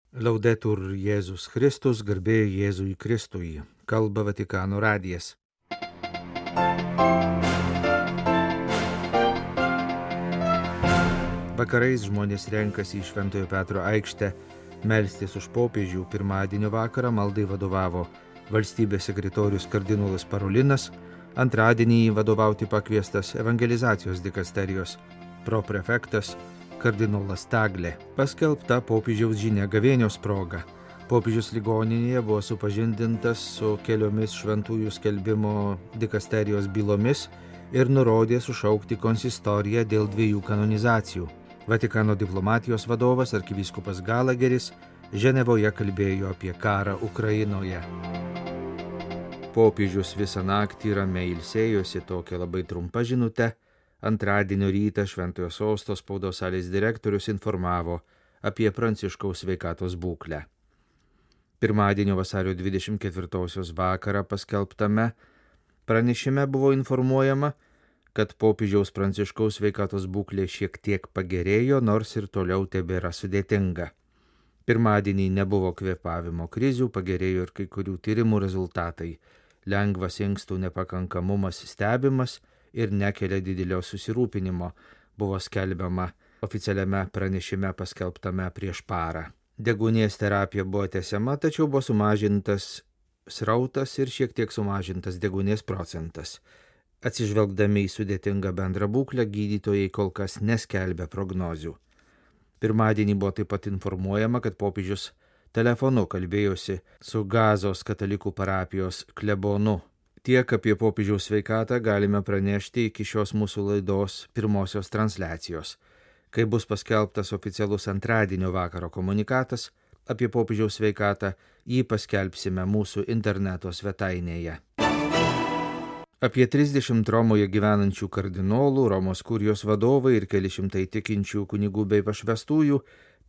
Laudetur Jėzus Kristus, garbė Jėzui Kristui, kalba Vatikano radijas. Vakarais žmonės renkasi į Šventojo Petro aikštę melstis už popiežių. Pirmadienio vakarą maldai vadovavo valstybės sekretorius kardinolas Parolinas, antradienį vadovauti pakviestas evangelizacijos dikasterijos proprefektas kardinolas Taglė. Paskelbta popiežiaus žinia gavėnios proga. Popiežius ligoninėje buvo supažindintas su keliomis šventųjų skelbimo dikasterijos bylomis ir nurodė sušaukti konsistoriją dėl 2 kanonizacijų. Vatikano diplomatijos vadovas arkivyskupas Galageris Ženevoje kalbėjo apie karą Ukrainoje. Popiežius visą naktį ramiai ilsėjosi, tokia labai trumpa žinutė. Antradienio rytą Šventojo Sosto spaudos salės direktorius informavo apie Pranciškaus sveikatos būklę. Pirmadienio vasario 24 vakarą paskelbtame pranešime buvo informuojama, kad popiežiaus Pranciškaus sveikatos būklė šiek tiek pagerėjo, nors ir toliau tebėra sudėtinga. Pirmadienį nebuvo kvėpavimo krizių, pagerėjo ir kai kurių tyrimų rezultatai. Lengvas inkstų nepakankamumas stebimas ir nekelia didelio susirūpinimo, buvo skelbiama oficialiame pranešime paskelbtame prieš parą. Deguonies terapija buvo tęsiama, tačiau buvo sumažintas srautas ir šiek tiek sumažintas deguonies procentas. Atsižvelgdami į sudėtingą bendrą būklę, gydytojai kol kas neskelbia prognozių. Pirmadienį buvo taip pat informuojama, kad popiežius telefonu kalbėjosi su Gazos katalikų parapijos klebonu. Tiek apie popiežiaus sveikatą galime pranešti iki šios mūsų laidos pirmosios transliacijos. Kai bus paskelbtas oficialus antradienio vakaro komunikatas apie popiežiaus sveikatą, jį paskelbsime mūsų interneto svetainėje. Apie 30 Romoje gyvenančių kardinolų, Romos kurijos vadovai ir keli šimtai tikinčių kunigų bei pašvestųjų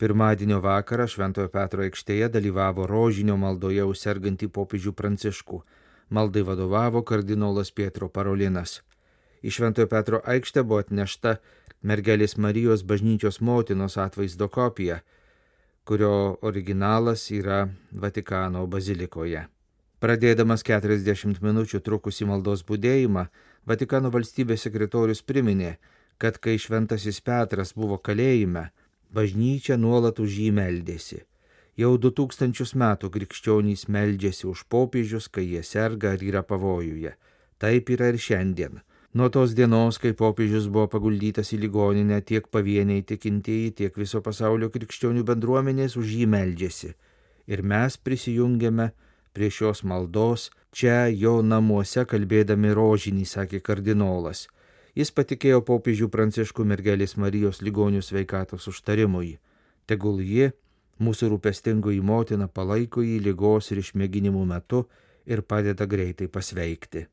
pirmadienio vakarą Šventojo Petro aikštėje dalyvavo rožinio maldoje už sergantį popiežių Pranciškų. Maldai vadovavo kardinolas Pietro Parolinas. Į Šventojo Petro aikštę buvo atnešta mergelės Marijos bažnyčios motinos atvaizdo kopija, kurio originalas yra Vatikano bazilikoje. Pradėdamas 40 minučių trukusį maldos budėjimą, Vatikano valstybės sekretorius priminė, kad kai Šventasis Petras buvo kalėjime, bažnyčia nuolat už jį meldėsi. Jau 2000 metų krikščionys meldžiasi už popiežius, kai jie serga ar yra pavojuje. Taip yra ir šiandien. Nuo tos dienos, kai popiežius buvo paguldytas į ligoninę, tiek pavieniai tikintieji, tiek viso pasaulio krikščionių bendruomenės už jį meldžiasi. Ir mes prisijungiame prie šios maldos čia jo namuose kalbėdami rožinį, sakė kardinolas. Jis patikėjo popiežių Pranciškų mergelės Marijos ligonių sveikatos užtarimui. Tegul ji, mūsų rūpestingoji motina, palaiko jį ligos ir išmėginimų metu ir padeda greitai pasveikti.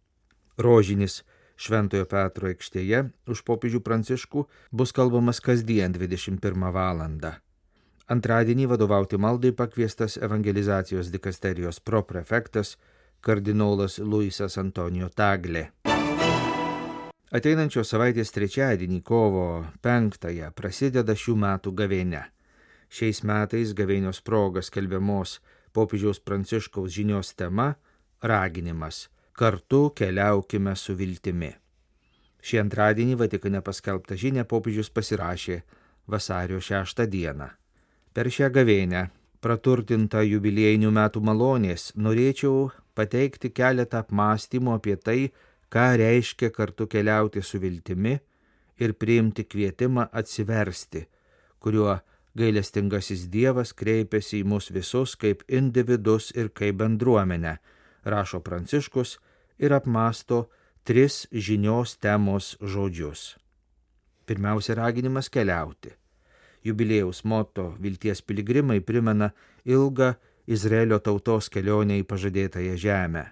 Rožinis Šventojo Petro aikštėje už popiežių Pranciškų bus kalbamas kasdien 21 valandą. Antradienį vadovauti maldai pakviestas evangelizacijos dikasterijos proprefektas kardinolas Luisas Antonijo Taglė. Ateinančios savaitės trečiadienį kovo 5 prasideda šių metų gavėnia. Šiais metais gavėnios proga skelbiamos popiežiaus Pranciškaus žinios tema – raginimas – kartu keliaukime su viltimi. Šį antradienį Vatikane paskelbtą žinią popiežius pasirašė vasario 6 dieną. Per šią gavėnią, praturtintą jubiliejinių metų malonės, norėčiau pateikti keletą apmąstymų apie tai, ką reiškia kartu keliauti su viltimi ir priimti kvietimą atsiversti, kuriuo gailestingasis Dievas kreipiasi į mus visus kaip individus ir kaip bendruomenę, rašo Pranciškus ir apmąsto 3 žinios temos žodžius. Pirmiausia, raginimas keliauti. Jubiliejaus moto Vilties piligrimai primena ilgą Izraelio tautos kelionę į pažadėtąją žemę.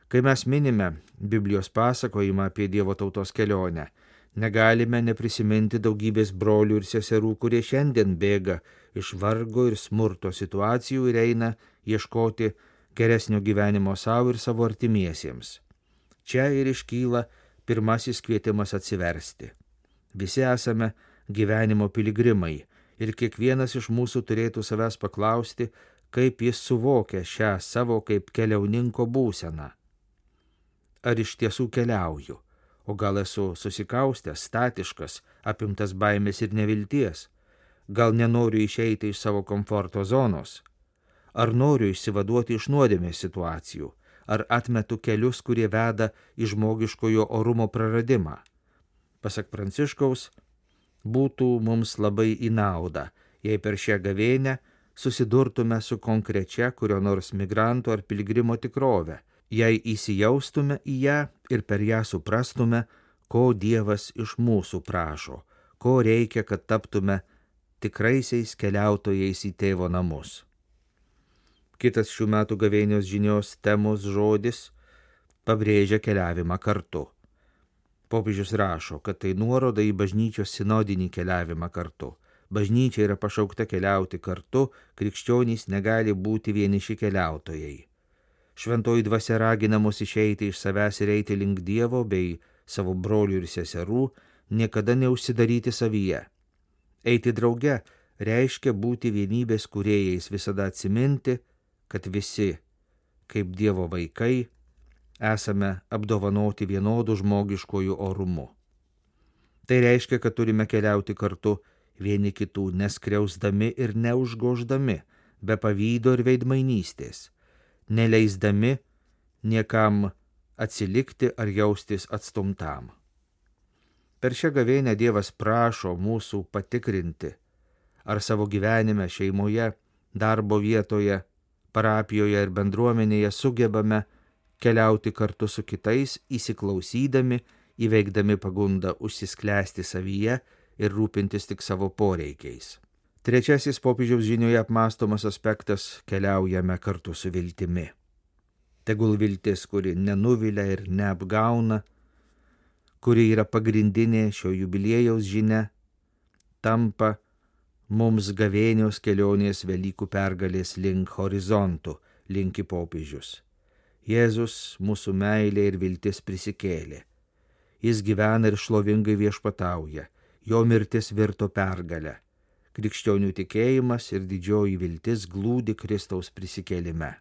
Kai mes minime Biblijos pasakojimą apie Dievo tautos kelionę, negalime neprisiminti daugybės brolių ir seserų, kurie šiandien bėga iš vargo ir smurto situacijų ir eina ieškoti geresnio gyvenimo savo ir savo artimiesiems. Čia ir iškyla pirmasis kvietimas atsiversti. Visi esame gyvenimo piligrimai Ir kiekvienas iš mūsų turėtų savęs paklausti, kaip jis suvokia šią savo kaip keliauninko būseną. Ar iš tiesų keliauju, o gal esu susikaustęs, statiškas, apimtas baimės ir nevilties? Gal nenoriu išeiti iš savo komforto zonos? Ar noriu išsivaduoti iš nuodėmės situacijų? Ar atmetu kelius, kurie veda į žmogiškojo orumo praradimą? Pasak Pranciškaus, būtų mums labai į naudą, jei per šią gavėnią susidurtume su konkrečia kurio nors migranto ar piligrimo tikrove, jei įsijaustume į ją ir per ją suprastume, ko Dievas iš mūsų prašo, ko reikia, kad taptume tikraisiais keliautojais į tėvo namus. Kitas šių metų gavėnios žinios temos žodis pabrėžia keliavimą kartu. Popiežius rašo, kad tai nuoroda į bažnyčios sinodinį keliavimą kartu. Bažnyčia yra pašaukta keliauti kartu, krikščionys negali būti vieniši keliautojai. Šventoji dvasia ragina mus išeiti iš savęs ir eiti link Dievo bei savo brolių ir seserų, niekada neužsidaryti savyje. Eiti drauge reiškia būti vienybės kūrėjais, visada atsiminti, kad visi, kaip Dievo vaikai, esame apdovanoti vienodų žmogiškojų orumu. Tai reiškia, kad turime keliauti kartu vieni kitų neskriausdami ir neužgoždami, be pavydo ir veidmainystės, neleisdami niekam atsilikti ar jaustis atstumtam. Per šią gavėnią Dievas prašo mūsų patikrinti, ar savo gyvenime, šeimoje, darbo vietoje, parapijoje ir bendruomenėje sugebame keliauti kartu su kitais, įsiklausydami, įveikdami pagundą užsisklęsti savyje ir rūpintis tik savo poreikiais. Trečiasis popiežiaus žinioje apmąstomas aspektas – keliaujame kartu su viltimi. Tegul viltis, kuri nenuvilia ir neapgauna, kuri yra pagrindinė šio jubiliejaus žinia, tampa mums gavėnios kelionės Velykų pergalės link horizontų, linki popiežius. Jėzus, mūsų meilė ir viltis prisikėlė. Jis gyvena ir šlovingai viešpatauja, jo mirtis virto pergalę. Krikščionių tikėjimas ir didžioji viltis glūdi Kristaus prisikėlime.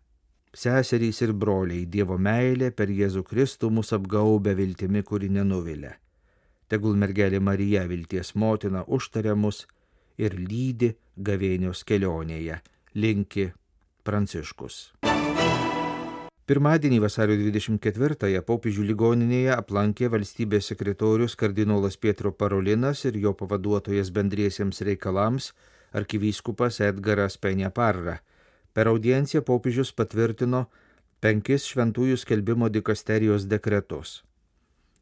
Seserys ir broliai, Dievo meilė per Jėzų Kristų mus apgaubia viltimi, kuri nenuvilia. Tegul mergelė Marija, vilties motina, užtaria mus ir lydi gavėnios kelionėje, linki Pranciškus. Pirmadienį vasario 24-ąją popiežių ligoninėje aplankė valstybės sekretorius kardinolas Pietro Parolinas ir jo pavaduotojas bendriesiems reikalams arkivyskupas Edgaras Peña-Parra. Per audienciją popiežius patvirtino 5 šventųjų skelbimo dikasterijos dekretus.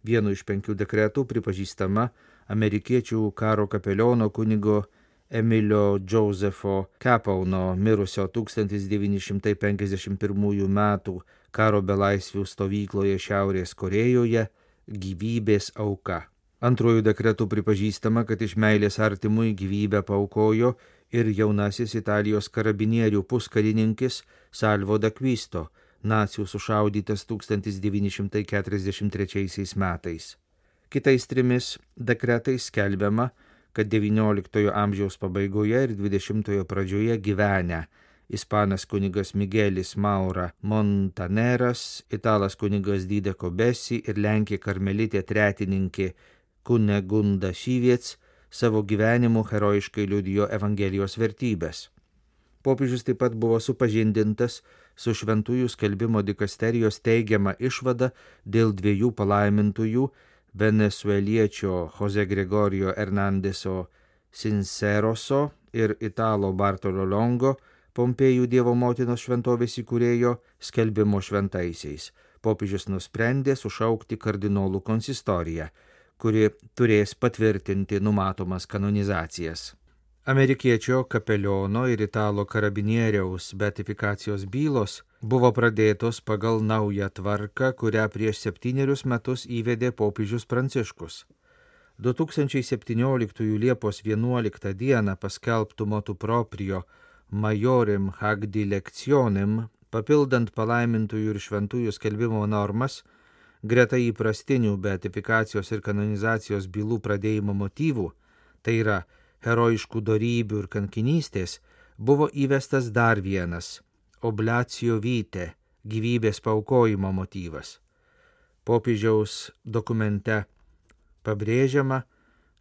Vienu iš 5 dekretų pripažįstama amerikiečių karo kapeliono kunigo Emilio Josepho Capauno mirusio 1951 metų karo belaisvių stovykloje Šiaurės Korėjoje gyvybės auka. Antruoju dekretu pripažįstama, kad iš meilės artimui gyvybę paaukojo ir jaunasis Italijos karabinierių puskarininkis Salvo d'Acquisto, nacių sušaudytas 1943 metais. Kitais 3 dekretais skelbiama, kad XIX amžiaus pabaigoje ir XX pradžioje gyvenę ispanas kunigas Miguelis Maura Montaneras, italas kunigas Dideko Besi ir lenkė karmelitė tretininkė Kunegunda Šyviec savo gyvenimu herojiškai liudijo Evangelijos vertybės. Popiežius taip pat buvo supažindintas su šventųjų skelbimo dikasterijos teigiama išvada dėl 2 palaimintųjų venesueliečio Jose Gregorio Hernandeso Sinceroso ir italo Bartolo Longo, Pompėjų Dievo motinos šventovės įkūrėjo, skelbimo šventaisiais. Popiežius nusprendė sušaukti kardinolų konsistoriją, kuri turės patvirtinti numatomas kanonizacijas. Amerikiečio kapeliono ir italo karabinieriaus beatifikacijos bylos buvo pradėtos pagal naują tvarką, kurią prieš 7 metus įvedė popiežius Pranciškus. 2017 Liepos 11 dieną paskelbtų motu proprio Majorem hac dilectionem, papildant palaimintųjų ir šventųjų skelbimo normas, greta įprastinių beatifikacijos ir kanonizacijos bylų pradėjimo motyvų, tai yra herojiškų dorybių ir kankinystės, buvo įvestas dar vienas oblacio vitae, gyvybės paaukojimo motyvas. Popiežiaus dokumente pabrėžiama,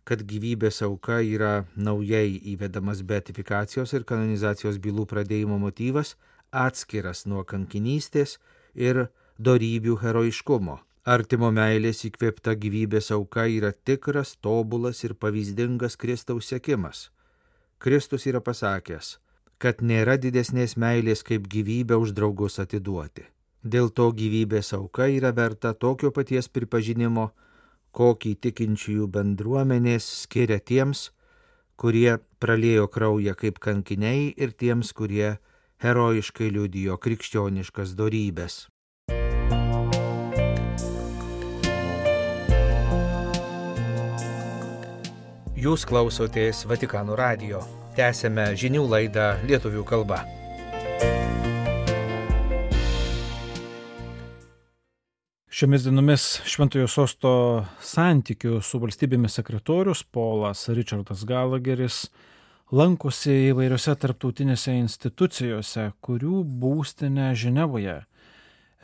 kad gyvybės auka yra naujai įvedamas beatifikacijos ir kanonizacijos bylų pradėjimo motyvas, atskiras nuo kankinystės ir dorybių herojiškumo. Artimo meilės įkvėpta gyvybės auka yra tikras, tobulas ir pavyzdingas Kristaus sekimas. Kristus yra pasakęs, kad nėra didesnės meilės kaip gyvybę už draugus atiduoti. Dėl to gyvybės auka yra verta tokio paties pripažinimo, kokį tikinčiųjų bendruomenės skiria tiems, kurie praliejo kraują kaip kankiniai ir tiems, kurie herojiškai liudijo krikščioniškas dorybes. Jūs klausotės Vatikano radijo. Tęsėme žinių laidą lietuvių kalba. Šiomis dienomis Šventojo Sosto santykių su valstybėmis sekretorius Polas Richardas Gallagheris lankosi įvairiose tarptautinėse institucijose, kurių būstinė Ženevoje,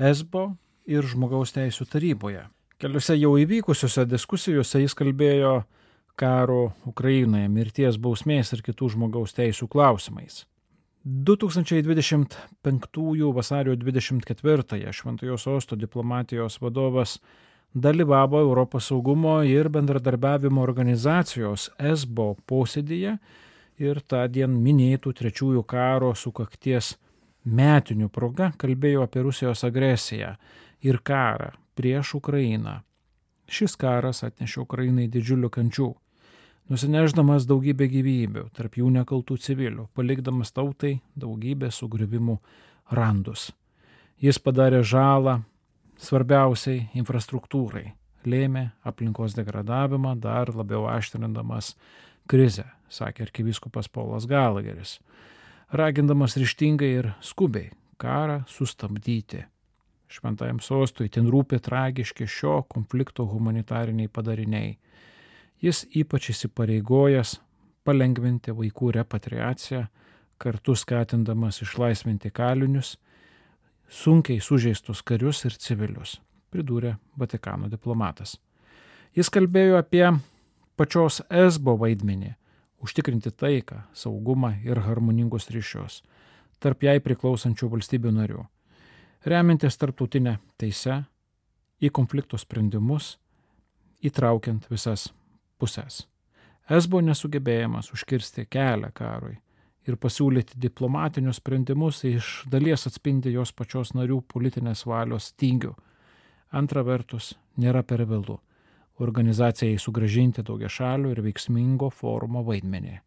ESBO ir Žmogaus teisių taryboje. Keliose jau įvykusiuose diskusijose jis kalbėjo karo Ukrainoje, mirties bausmės ir kitų žmogaus teisių klausimais. 2025 vasario 24 Šventojo Sosto diplomatijos vadovas dalyvavo Europos saugumo ir bendradarbiavimo organizacijos ESBO posėdyje ir tądien minėtų trečiųjų karo sukakties metinių proga kalbėjo apie Rusijos agresiją ir karą prieš Ukrainą. Šis karas atnešė Ukrainai didžiulių kančių, nusineždamas daugybę gyvybių, tarp jų nekaltų civilių, palikdamas tautai daugybę sugriuvimų randus. Jis padarė žalą svarbiausiai infrastruktūrai, lėmė aplinkos degradavimą, dar labiau aštrindamas krizę, sakė arkivyskupas Polas Gallagheris, ragindamas ryžtingai ir skubiai karą sustabdyti. Šventajam sostui itin rūpi tragiški šio konflikto humanitariniai padariniai. Jis ypač įsipareigojęs palengvinti vaikų repatriaciją, kartu skatindamas išlaisvinti kalinius, sunkiai sužeistus karius ir civilius, pridūrė Vatikano diplomatas. Jis kalbėjo apie pačios ESBO vaidmenį, užtikrinti taiką, saugumą ir harmoningus ryšius tarp jai priklausančių valstybių narių, remiantis tarptautinę teisę į konflikto sprendimus, įtraukiant visas pusės. ESBO nesugebėjimas užkirsti kelią karui ir pasiūlyti diplomatinius sprendimus iš dalies atspindi jos pačios narių politinės valios stygių. Antra vertus, nėra per vėlu organizacijai sugrąžinti daugiašalių ir veiksmingo forumo vaidmenį.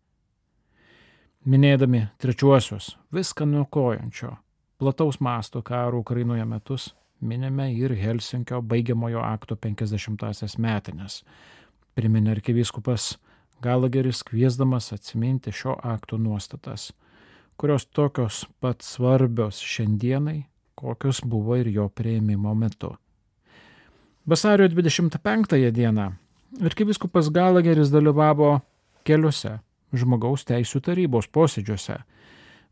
Minėdami trečiuosius viską niokojančio plataus masto karo Ukrainoje metus, minime ir Helsinkio baigiamojo akto 50-asias metines. Priminė arkivyskupas Gallagheris, kviesdamas atsiminti šio akto nuostatas, kurios tokios pat svarbios šiandienai, kokios buvo ir jo priėmimo metu. Vasario 25 dieną arkivyskupas Gallagheris dalyvavo keliose Žmogaus teisių tarybos posėdžiuose,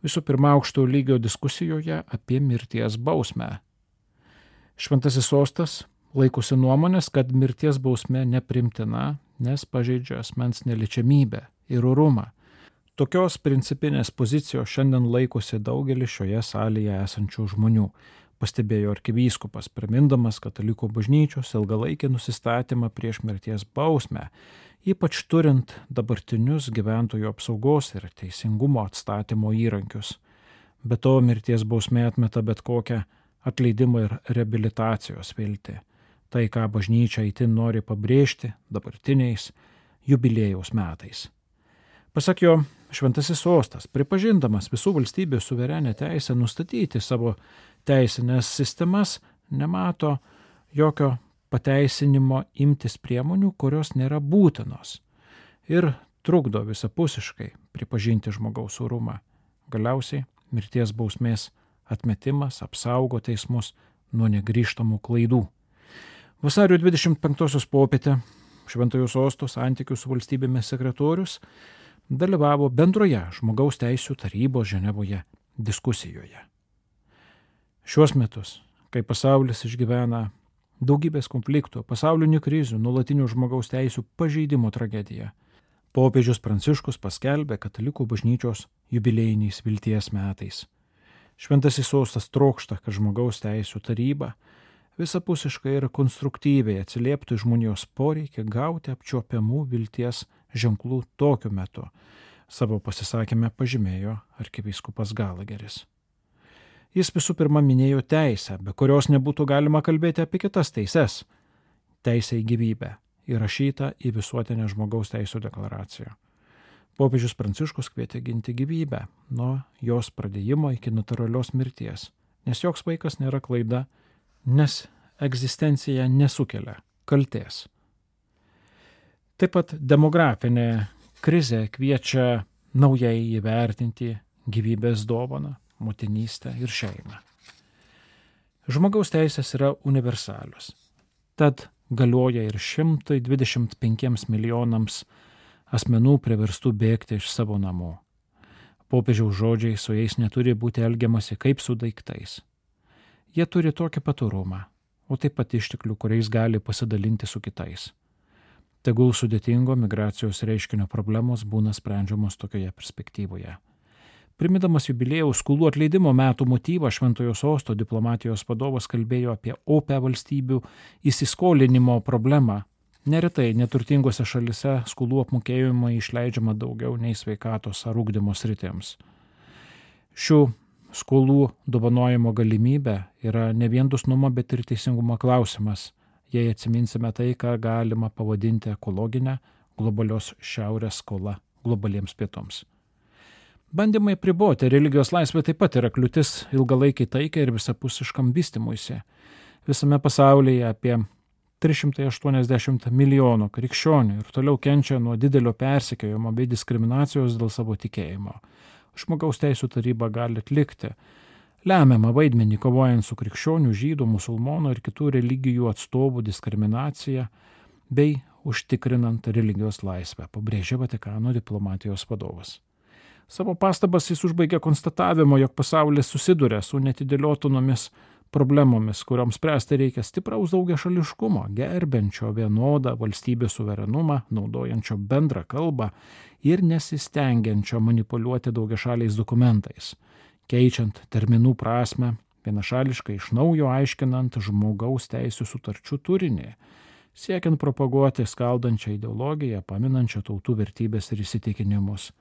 visų pirma aukšto lygio diskusijoje apie mirties bausmę. Šventasis sostas laikosi nuomonės, kad mirties bausmė neprimtina, nes pažeidžia asmens neliečiamybę ir orumą. Tokios principinės pozicijos šiandien laikosi daugelis šioje salėje esančių žmonių, pastebėjo arkivyskupas, primindamas katalikų bažnyčios ilgalaikį nusistatymą prieš mirties bausmę, ypač turint dabartinius gyventojų apsaugos ir teisingumo atstatymo įrankius. Be to, mirties bausmė atmeta bet kokią atleidimo ir reabilitacijos viltį. Tai, ką bažnyčia itin nori pabrėžti dabartiniais jubiliejaus metais. Pasak jo, Šventasis sostas, pripažindamas visų valstybių suverenę teisę nustatyti savo teisinės sistemas, nemato jokio pateisinimo imtis priemonių, kurios nėra būtinos ir trukdo visapusiškai pripažinti žmogaus orumą. Galiausiai mirties bausmės atmetimas apsaugo teismus nuo negrįžtamų klaidų. Vasario 25 popietę Šventojo Sosto santykių su valstybėmis sekretorius dalyvavo bendroje žmogaus teisų tarybos Ženevoje diskusijoje. Šiuos metus, kai pasaulis išgyvena daugybės konfliktų, pasaulinių krizių, nuolatinių žmogaus teisų pažeidimo tragediją, popiežius Pranciškus paskelbė katalikų bažnyčios jubiliejiniais vilties metais. Šventasis sostas trokšta, kad žmogaus teisų taryba visapusiškai ir konstruktyviai atsilieptų į žmonijos poreikį gauti apčiuopiamų vilties ženklų tokiu metu, savo pasisakyme pažymėjo arkivyskupas Galageris. Jis visų pirma minėjo teisę, be kurios nebūtų galima kalbėti apie kitas teises. Teisė į gyvybę įrašyta į visuotinę žmogaus teisų deklaraciją. Popiežius Pranciškus kvietė ginti gyvybę nuo jos pradėjimo iki natūralios mirties, nes joks vaikas nėra klaida, nes egzistencija nesukelia kaltės. Taip pat demografinė krizė kviečia naujai įvertinti gyvybės dovaną, motinystę ir šeimą. Žmogaus teisės yra universalios, tad galioja ir 125 milijonams asmenų priverstų bėgti iš savo namų. Popiežiaus žodžiai su jais neturi būti elgiamasi kaip su daiktais. Jie turi tokį patorumą, o taip pat išteklių, kuriais gali pasidalinti su kitais. Tegul sudėtingo migracijos reiškinio problemos būna sprendžiamos tokioje perspektyvoje. Primindamas jubiliejaus skolų atleidimo metų motyvą, Šventojo Sosto diplomatijos vadovas kalbėjo apie opią valstybių įsiskolinimo problemą. Neretai neturtingose šalise skolų apmokėjimai išleidžiama daugiau nei sveikatos ar ugdymo sritims. Šių skolų dovanojimo galimybė yra ne vien dosnumo, bet ir teisingumo klausimas, jei atsiminsime tai, ką galima pavadinti ekologinę globalios šiaurės skola globaliems pietums. Bandymai apriboti religijos laisvę taip pat yra kliūtis ilgalaikiai taikai ir visapusiškam vystymuisi. Visame pasaulyje apie 380 milijonų krikščionių ir toliau kenčia nuo didelio persekiojimo bei diskriminacijos dėl savo tikėjimo. Žmogaus teisų taryba gali atlikti lemiamą vaidmenį kovojant su krikščionių, žydų, musulmonų ir kitų religijų atstovų diskriminacija bei užtikrinant religijos laisvę, pabrėžė Vatikano diplomatijos vadovas. Savo pastabas jis užbaigė konstatavimo, jog pasaulis susiduria su netidėliotomis problemomis, kurioms spręsti reikia stipraus daugiašališkumo, gerbiančio vienodą valstybės suverenumą, naudojančio bendrą kalbą ir nesistengiančio manipuliuoti daugiašaliais dokumentais, keičiant terminų prasme, vienašališkai iš naujo aiškinant žmogaus teisų sutarčių turinį, siekiant propaguoti skaldančią ideologiją, paminančią tautų vertybės ir įsitikinimus.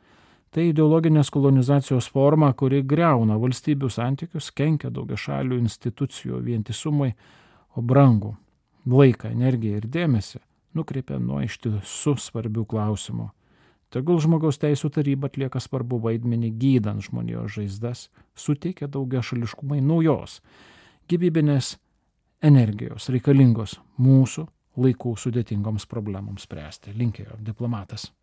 Tai ideologinės kolonizacijos forma, kuri griauna valstybių santykius, kenkia daugiašalių institucijų vientisumui, o brangų laiką, energiją ir dėmesį nukreipia nuo ištisų svarbių klausimų. Tegul žmogaus teisų taryba atlieka svarbu vaidmenį gydant žmonijos žaizdas, suteikia daugiašališkumai naujos, gyvybinės energijos reikalingos mūsų laikų sudėtingoms problemoms spręsti, linkėjo diplomatas.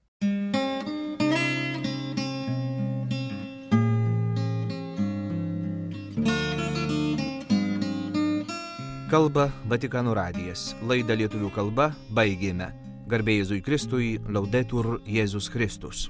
Kalba Vatikano radijas. Laidą lietuvių kalba baigėme. Garbė Jėzui Kristui, Laudetur Jėzus Kristus.